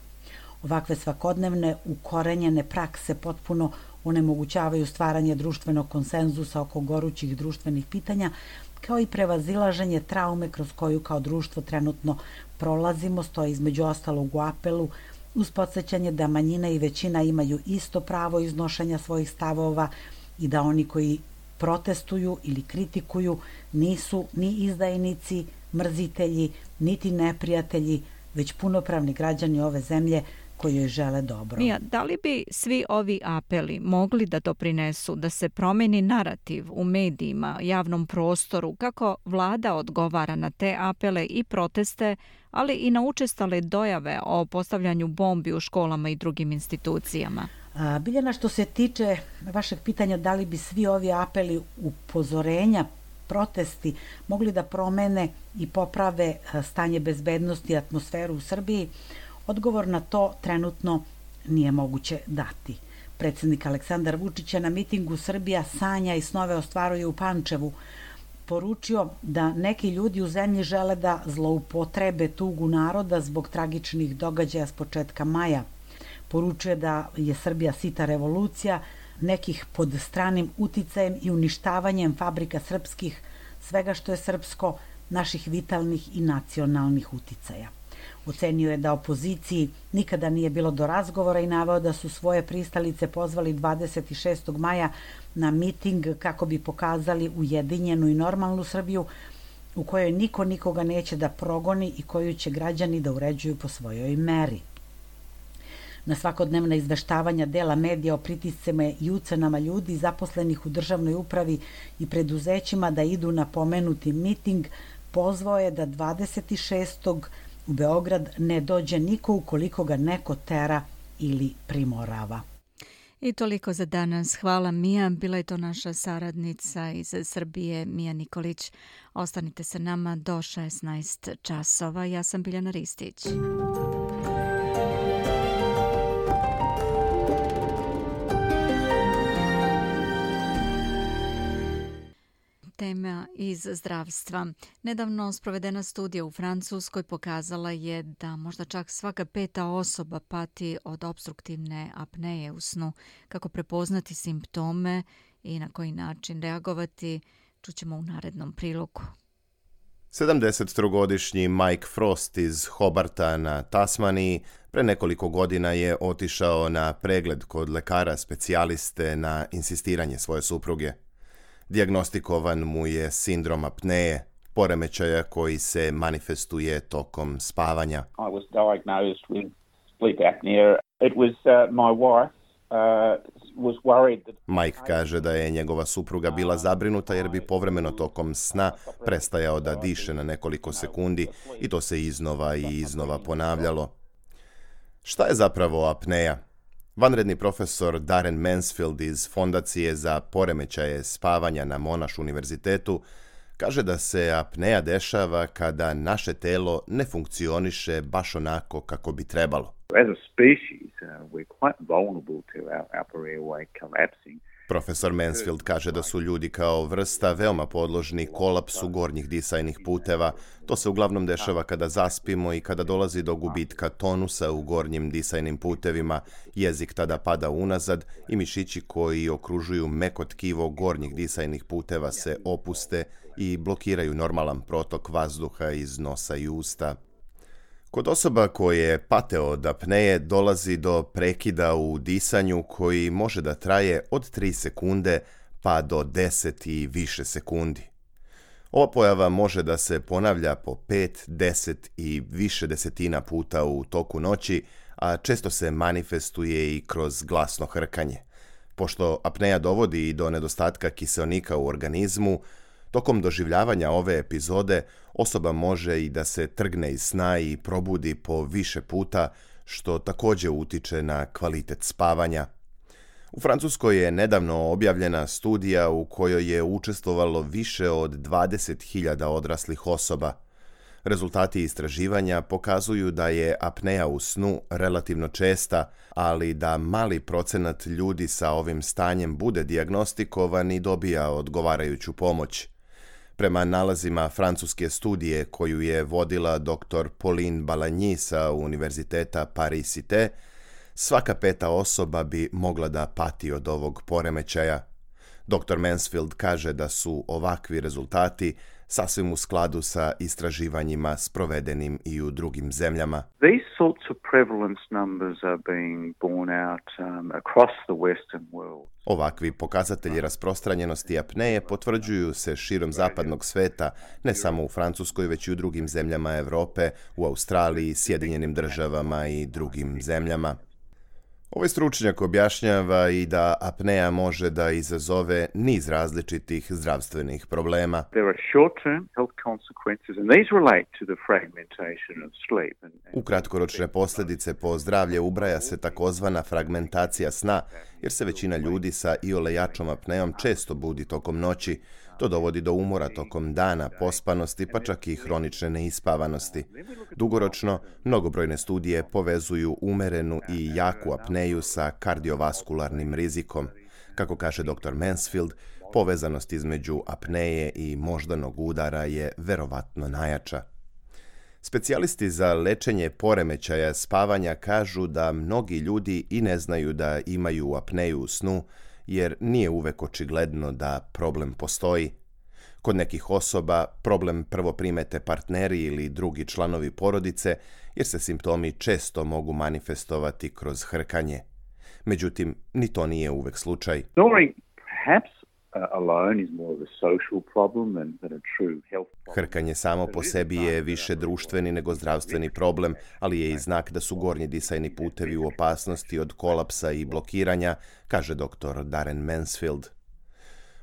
Ovakve svakodnevne ukorenjene prakse potpuno onemogućavaju stvaranje društvenog konsenzusa oko gorućih društvenih pitanja, kao i prevazilaženje traume kroz koju kao društvo trenutno prolazimo, stoji između ostalog u apelu, uz podsjećanje da manjina i većina imaju isto pravo iznošenja svojih stavova i da oni koji protestuju ili kritikuju nisu ni izdajnici, mrzitelji, niti neprijatelji, već punopravni građani ove zemlje koji joj žele dobro. Mija, da li bi svi ovi apeli mogli da doprinesu da se promeni narativ u medijima, javnom prostoru, kako vlada odgovara na te apele i proteste, ali i na učestale dojave o postavljanju bombi u školama i drugim institucijama? Biljana, što se tiče vašeg pitanja da li bi svi ovi apeli, upozorenja, protesti mogli da promene i poprave stanje bezbednosti i atmosferu u Srbiji, odgovor na to trenutno nije moguće dati. Predsjednik Aleksandar Vučić je na mitingu Srbija sanja i snove ostvaruje u Pančevu poručio da neki ljudi u zemlji žele da zloupotrebe tugu naroda zbog tragičnih događaja s početka maja. Poručuje da je Srbija sita revolucija, nekih pod stranim uticajem i uništavanjem fabrika srpskih, svega što je srpsko, naših vitalnih i nacionalnih uticaja. Ocenio je da opoziciji nikada nije bilo do razgovora i naveo da su svoje pristalice pozvali 26. maja na miting kako bi pokazali ujedinjenu i normalnu Srbiju u kojoj niko nikoga neće da progoni i koju će građani da uređuju po svojoj meri. Na svakodnevna izveštavanja dela medija o pritiscima i ucenama ljudi zaposlenih u državnoj upravi i preduzećima da idu na pomenuti miting, pozvao je da 26. u Beograd ne dođe niko ukoliko ga neko tera ili primorava. I toliko za danas. Hvala, Mija. Bila je to naša saradnica iz Srbije, Mija Nikolić. Ostanite sa nama do 16 časova. Ja sam Biljana Ristić. Tema iz zdravstva. Nedavno sprovedena studija u Francuskoj pokazala je da možda čak svaka 5. osoba pati od opstruktivne apneje u snu. Kako prepoznati simptome i na koji način reagovati, čućemo u narednom prilogu. 73-godišnji Mike Frost iz Hobarta na Tasmaniji pre nekoliko godina je otišao na pregled kod lekara specijaliste na insistiranje svoje supruge. Dijagnostikovan mu je sindrom apneje, poremećaja koji se manifestuje tokom spavanja. I was diagnosed with sleep apnea. It was my wife was worried that... Mike kaže da je njegova supruga bila zabrinuta jer bi povremeno tokom sna prestajao da diše na nekoliko sekundi i to se iznova i iznova ponavljalo. Šta je zapravo apneja? Vanredni profesor Darren Mansfield iz Fondacije za poremećaje spavanja na Monash univerzitetu kaže da se apneja dešava kada naše telo ne funkcioniše baš onako kako bi trebalo. As a species, we're quite vulnerable to our upper airway collapsing. Profesor Mansfield kaže da su ljudi kao vrsta veoma podložni kolapsu gornjih disajnih puteva. To se uglavnom dešava kada zaspimo i kada dolazi do gubitka tonusa u gornjim disajnim putevima. Jezik tada pada unazad i mišići koji okružuju meko tkivo gornjih disajnih puteva se opuste i blokiraju normalan protok vazduha iz nosa i usta. Kod osoba koje pate od apneje dolazi do prekida u disanju koji može da traje od 3 sekunde pa do 10 i više sekundi. Ova pojava može da se ponavlja po 5, 10 i više desetina puta u toku noći, a često se manifestuje i kroz glasno hrkanje. Pošto apneja dovodi i do nedostatka kiseonika u organizmu, tokom doživljavanja ove epizode osoba može i da se trgne iz sna i probudi po više puta, što također utiče na kvalitet spavanja. U Francuskoj je nedavno objavljena studija u kojoj je učestvovalo više od 20.000 odraslih osoba. Rezultati istraživanja pokazuju da je apneja u snu relativno česta, ali da mali procenat ljudi sa ovim stanjem bude dijagnostikovan i dobija odgovarajuću pomoć. Prema nalazima francuske studije koju je vodila dr. Pauline Balagny sa Univerziteta Paris-Cité, svaka 5. osoba bi mogla da pati od ovog poremećaja. Dr. Mansfield kaže da su ovakvi rezultati sasvim u skladu sa istraživanjima sprovedenim i u drugim zemljama. These sorts of prevalence numbers are being borne out across the Western world. Ovakvi pokazatelji rasprostranjenosti apneje potvrđuju se širom zapadnog sveta, ne samo u Francuskoj, već i u drugim zemljama Europe, u Australiji, Sjedinjenim Državama i drugim zemljama. Ovaj stručnjak objašnjava i da apneja može da izazove niz različitih zdravstvenih problema. There are short-term health consequences and these relate to the fragmentation of sleep. U kratkoročne posljedice po zdravlje ubraja se takozvana fragmentacija sna, jer se većina ljudi sa iole jačom apnejom često budi tokom noći. To dovodi do umora tokom dana, pospanosti, pa čak i hronične neispavanosti. Dugoročno, mnogobrojne studije povezuju umerenu i jaku apneju sa kardiovaskularnim rizikom. Kako kaže dr. Mansfield, povezanost između apneje i moždanog udara je verovatno najjača. Specijalisti za lečenje poremećaja spavanja kažu da mnogi ljudi i ne znaju da imaju apneju u snu, jer nije uvek očigledno da problem postoji. Kod nekih osoba problem prvo primete partneri ili drugi članovi porodice, jer se simptomi često mogu manifestovati kroz hrkanje. Međutim, ni to nije uvek slučaj. Hrkanje samo po sebi je više društveni nego zdravstveni problem, ali je i znak da su gornji disajni putevi u opasnosti od kolapsa i blokiranja, kaže dr. Darren Mansfield.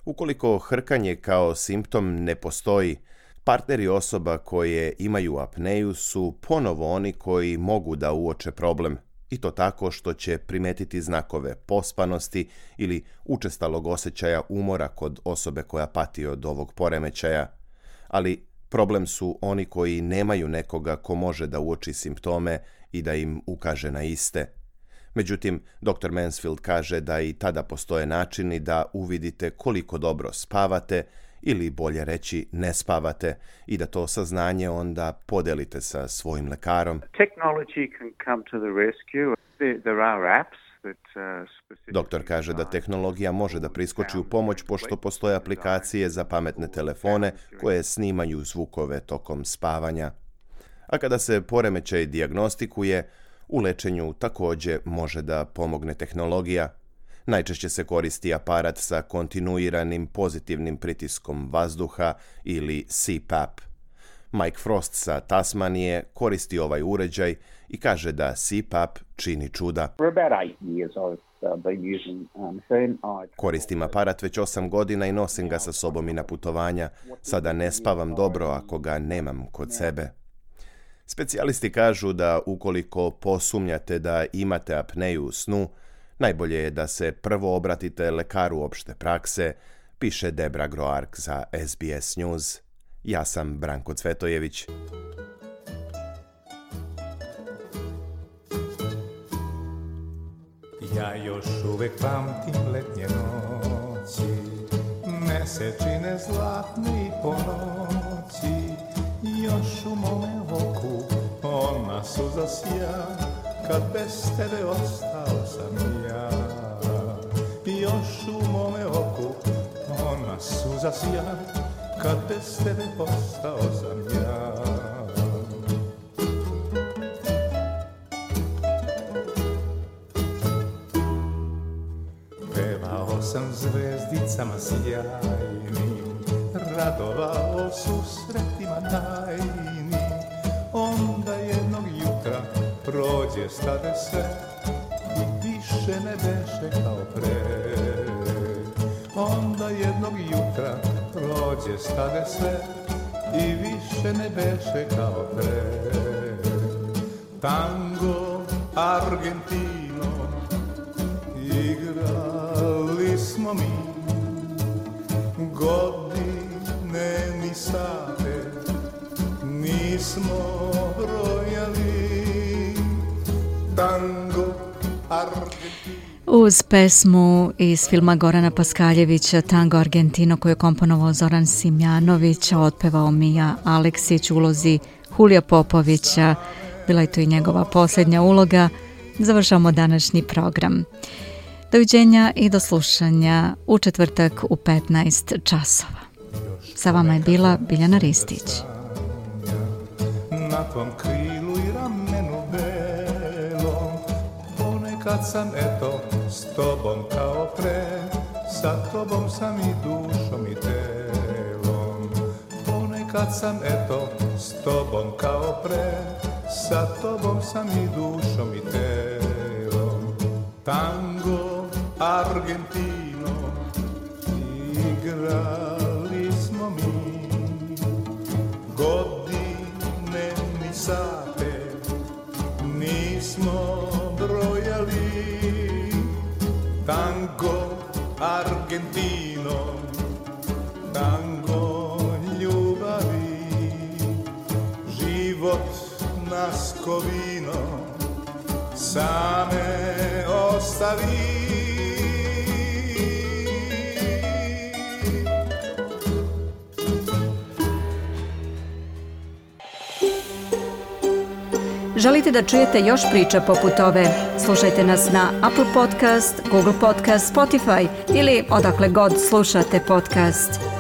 Ukoliko hrkanje kao simptom ne postoji, partneri osoba koje imaju apneju su ponovo oni koji mogu da uoče problem, i to tako što će primetiti znakove pospanosti ili učestalog osjećaja umora kod osobe koja pati od ovog poremećaja. Ali problem su oni koji nemaju nekoga ko može da uoči simptome i da im ukaže na iste. Međutim, dr. Mansfield kaže da i tada postoje načini da uvidite koliko dobro spavate ili bolje reći ne spavate i da to saznanje onda podelite sa svojim lekarom. Doktor kaže da tehnologija može da priskoči u pomoć pošto postoje aplikacije za pametne telefone koje snimaju zvukove tokom spavanja. A kada se poremećaj dijagnostikuje, u lečenju također može da pomogne tehnologija. Najčešće se koristi aparat sa kontinuiranim pozitivnim pritiskom vazduha ili CPAP. Mike Frost sa Tasmanije koristi ovaj uređaj i kaže da CPAP čini čuda. Koristim aparat već 8 godina i nosim ga sa sobom i na putovanja. Sada ne spavam dobro ako ga nemam kod sebe. Specijalisti kažu da ukoliko posumnjate da imate apneju u snu, najbolje je da se prvo obratite lekaru opšte prakse, piše Debra Groark za SBS News. Ja sam Branko Cvetojević. Ja još uvek pamtim letnje noći, mesečine zlatne i po noći, još u mome oku ona suza sja, kad bez tebe ostao sam ja. Još u mome oku ona suza sja, kad bez tebe ostao sam ja. Pevao sam zvezdicama sjajnim, radovao susretima tajnim. Onda jednog jutra prođe stade sve i više ne beše kao pre. Onda jednog jutra prođe stade sve i više ne beše kao pre. Tango, Argentino, igrali smo mi, godine ni sate nismo brojali. Tango, Argentino. Uz pesmu iz filma Gorana Paskaljevića Tango Argentino koju je komponovao Zoran Simjanović, a otpevao Mija Aleksić u ulozi Hulija Popovića, bila je to i njegova posljednja uloga, završamo današnji program. Doviđenja i do slušanja u četvrtak u 15 časova. Još Sa vama je bila Biljana Ristić. Na tvom krilu i ramenu belom, ponekad sam eto s tobom kao pre, sa tobom sam i dušom i telom. Ponekad sam eto s tobom kao pre, sa tobom sam i dušom i telom. Tango, Argentino, igrali smo mi, godine ni sate nismo brojali. Tango, Argentino, tango ljubavi, život nas ko vino same ostavi. Želite da čujete još priča poput ove? Slušajte nas na Apple Podcast, Google Podcast, Spotify ili odakle god slušate podcast.